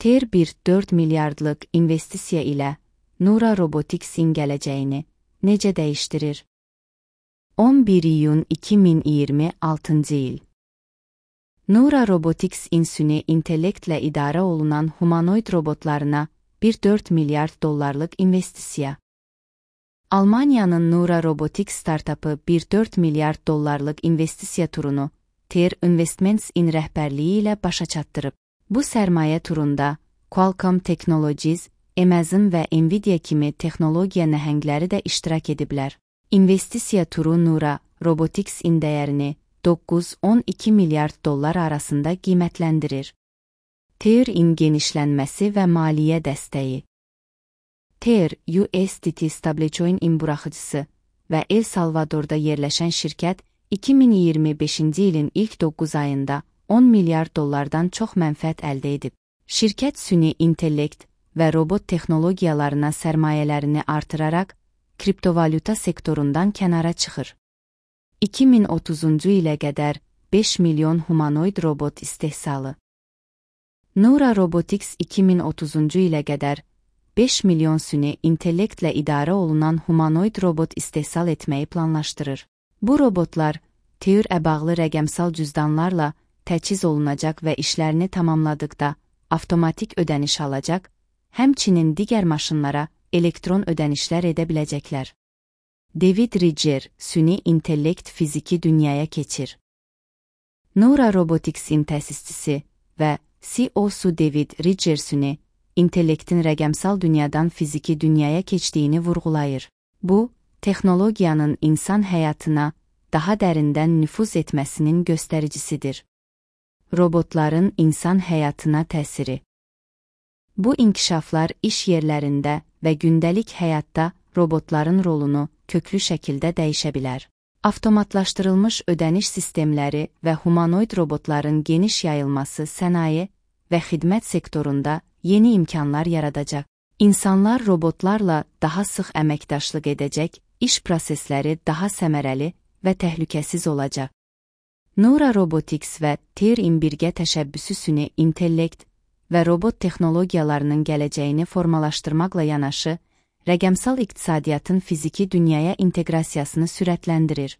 TER 4 milyardlıq investisiya ilə Nura Robotics'in gələcəyini necə dəyişdirir? 11 iyun 2026 il. Nura Robotics insüni intellektlə idarə olunan humanoid robotlarına 4 milyard dollarlıq investisiya. Almaniyanın Nura Robotics startapı 4 milyard dollarlıq investisiya turunu TER Investments-in rəhbərliyi ilə başa çatdırıb. Bu sərmayə turunda Qualcomm Technologies, Amazon və Nvidia kimi texnologiya nəhəngləri də iştirak ediblər. İnvestisiya turu Nura Robotics-in dəyərini 9-12 milyard dollar arasında qiymətləndirir. TER-in genişlənməsi və maliyyə dəstəyi. TER, USDT stablecoin buraxıcısı və El Salvadorda yerləşən şirkət 2025-ci ilin ilk 9 ayında 10 milyard dollardan çox mənfəət əldə edib. Şirkət süni intellekt və robot texnologiyalarına sərmayələrini artıraraq kriptovalyuta sektorundan kənara çıxır. 2030-cu ilə qədər 5 milyon humanoid robot istehsalı. Nura Robotics 2030-cu ilə qədər 5 milyon süni intellektlə idarə olunan humanoid robot istehsal etməyi planlaşdırır. Bu robotlar TER-ə bağlı rəqəmsal cüzdanlarla təchiz olunacaq və işlərini tamamladıqda avtomatik ödəniş alacaq, həmçinin digər maşınlara elektron ödənişlər edə biləcəklər. David Ridger, süni intellekt fiziki dünyaya keçir. Nura Robotics'in təsisçisi və CEO-su David Ridger süni intellektin rəqəmsal dünyadan fiziki dünyaya keçdiyini vurğulayır. Bu, texnologiyanın insan həyatına daha dərindən nüfuz etməsinin göstəricisidir. Robotların insan həyatına təsiri. Bu inkişaflar iş yerlərində və gündəlik həyatda robotların rolunu köklü şəkildə dəyişə bilər. Avtomatlaşdırılmış ödəniş sistemləri və humanoid robotların geniş yayılması sənaye və xidmət sektorunda yeni imkanlar yaradacaq. İnsanlar robotlarla daha sıx əməkdaşlıq edəcək, iş prosesləri daha səmərəli və təhlükəsiz olacaq. Nura Robotics və TER-in birgə təşəbbüsü süni intellekt və robot texnologiyalarının gələcəyini formalaşdırmaqla yanaşı, rəqəmsal iqtisadiyyatın fiziki dünyaya inteqrasiyasını sürətləndirir.